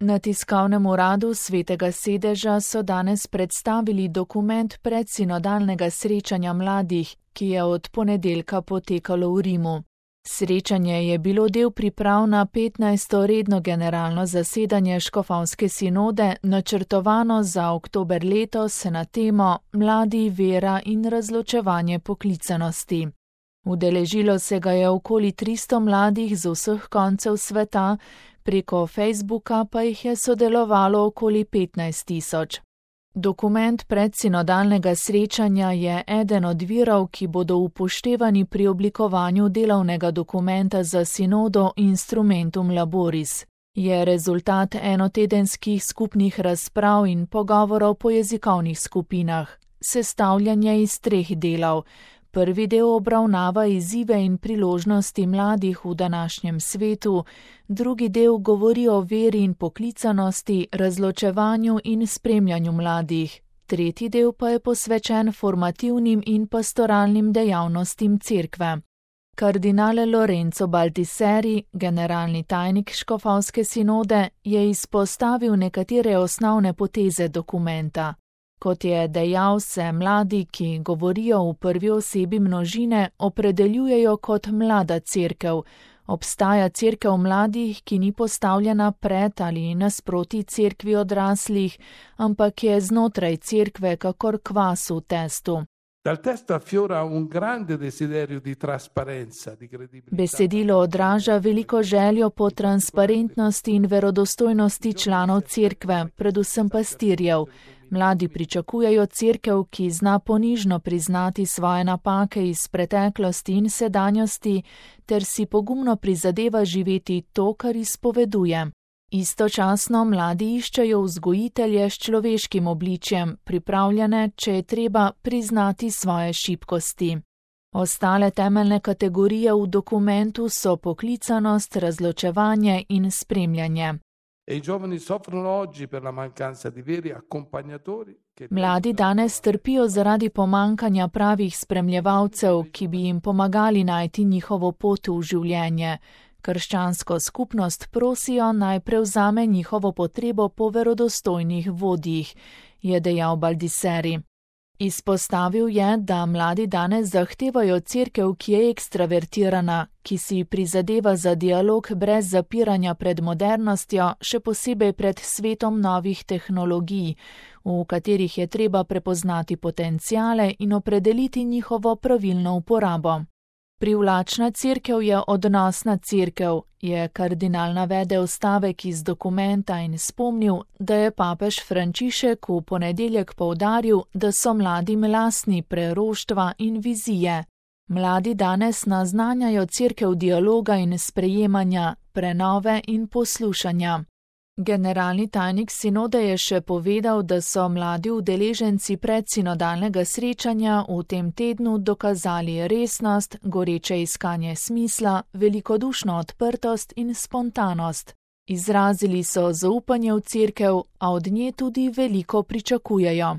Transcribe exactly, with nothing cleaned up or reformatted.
Na tiskovnem uradu Svetega sedeža so danes predstavili dokument predsinodalnega srečanja mladih, ki je od ponedeljka potekalo v Rimu. Srečanje je bilo del priprav na petnajsto redno generalno zasedanje škofovske sinode, načrtovano za oktober letos na temo Mladi, vera in razločevanje poklicanosti. Udeležilo se ga je okoli tristo mladih z vseh koncev sveta, preko Facebooka pa jih je sodelovalo okoli petnajst tisoč. Dokument predsinodalnega srečanja je eden od virov, ki bodo upoštevani pri oblikovanju delovnega dokumenta za sinodo Instrumentum Laboris. Je rezultat enotedenskih skupnih razprav in pogovorov po jezikovnih skupinah. Sestavljen je iz treh delov. Prvi del obravnava izzive in priložnosti mladih v današnjem svetu, drugi del govori o veri in poklicanosti, razločevanju in spremljanju mladih, tretji del pa je posvečen formativnim in pastoralnim dejavnostim cerkve. Kardinal Lorenzo Baldisseri, generalni tajnik škofovske sinode, je izpostavil nekatere osnovne poteze dokumenta. Kot je dejal, se mladi, ki govorijo v prvi osebi množine, opredeljujejo kot mlada cerkev. Obstaja cerkev mladih, ki ni postavljena pred ali nasproti cerkvi odraslih, ampak je znotraj cerkve kakor kvas v testu. Besedilo odraža veliko željo po transparentnosti in verodostojnosti članov cerkve, predvsem pastirjev. Mladi pričakujejo cerkev, ki zna ponižno priznati svoje napake iz preteklosti in sedanjosti, ter si pogumno prizadeva živeti to, kar izpoveduje. Istočasno mladi iščejo vzgojitelje s človeškim obličjem, pripravljene, če je treba, priznati svoje šibkosti. Ostale temeljne kategorije v dokumentu so poklicanost, razločevanje in spremljanje. Mladi danes trpijo zaradi pomankanja pravih spremljevalcev, ki bi jim pomagali najti njihovo pot v življenje. Krščansko skupnost prosijo naj prevzame njihovo potrebo po verodostojnih vodjih, je dejal Baldisseri. Izpostavil je, da mladi danes zahtevajo cerkev, ki je ekstravertirana, ki si prizadeva za dialog brez zapiranja pred modernostjo, še posebej pred svetom novih tehnologij, v katerih je treba prepoznati potenciale in opredeliti njihovo pravilno uporabo. Privlačna cerkev je odnosna cerkev, je kardinal navedel stavek iz dokumenta in spomnil, da je papež Frančišek v ponedeljek poudaril, da so mladim lastni preroštva in vizije. Mladi danes naznanjajo cerkev dialoga in sprejemanja, prenove in poslušanja. Generalni tajnik sinode je še povedal, da so mladi udeleženci predsinodalnega srečanja v tem tednu dokazali resnost, goreče iskanje smisla, velikodušno odprtost in spontanost. Izrazili so zaupanje v cerkev, a od nje tudi veliko pričakujejo.